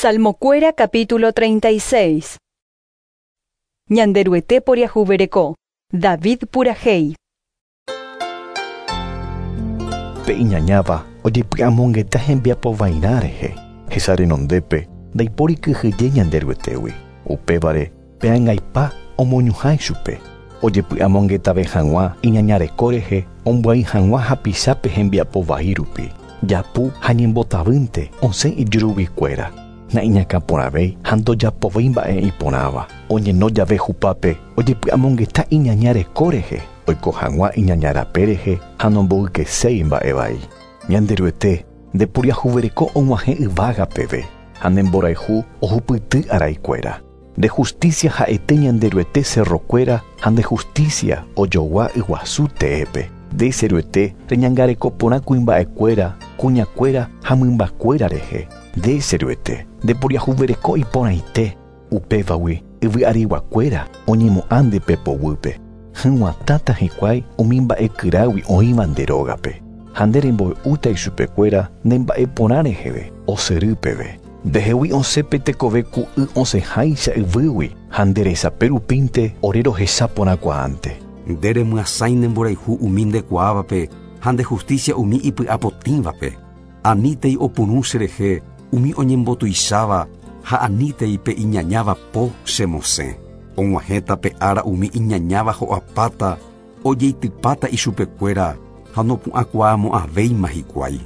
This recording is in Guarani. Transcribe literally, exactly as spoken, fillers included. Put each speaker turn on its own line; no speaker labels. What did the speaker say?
Salmokuéra capítulo treinta y seis. Ñanderuete poriahuvereko. David purahéi.
Pe iñañáva ojepy'amongeta hembiapo vairã rehe. Hesa renondépe ndaipóri kyhyje Ñanderuetégui. Upévare pe angaipa omoñuhã ichupe. Ojepy'amongetave hag̃ua iñañareko rehe ombyai hag̃ua hapichápe hembiapo vai rupi. Japu ha ñembotavýnte osẽ ijuruguikuéra. Naiñakãporãvéi ha ndojapovéi mba'e iporãva. Oñeno jave hupápe ojepy'amongeta iñañareko rehe oiko hag̃ua iñaña rape rehe ha nomboykeséi mba'e vai. Ñanderuete ndeporiahuvereko og̃uahẽ yvága peve ha ne mborayhu ohupyty araikuéra. Nde justicia ha'ete Ñanderuete cerrokuéra ha nde justicia ojogua yguasu teépe. Nde che Ruete reñangareko porã kuimba'ekuéra, kuñakuéra ha mymbakuéra rehe. Nde che Ruete ndeporiahuvereko iporãite. Upévagui yvyariguakuéra oñemo'ã nde pepoguýpe. Hyg̃uatãta hikuái umi mba'e kyrágui oĩva nde rógape. Ha nde remboy'úta ichupekuéra ne mba'eporã reheve osyry peve. Ndehegui osẽ pe tekove ku y osẽháicha yvýgui ha nde resape rupínte ore rohecha porãkuaánte.
Nde remyasãi ne mborayhu umi ndekuaávape ha nde justicia umi ipy'apotĩvape. Anítei opyrũ cherehe umi oñembotuicháva ha anítei pe iñañáva po chemosẽ. Og̃uahẽta pe ára umi iñañáva ho'apáta ojeitypáta ichupekuéra ha nopu'ãkuaamo'ãvéima hikuái.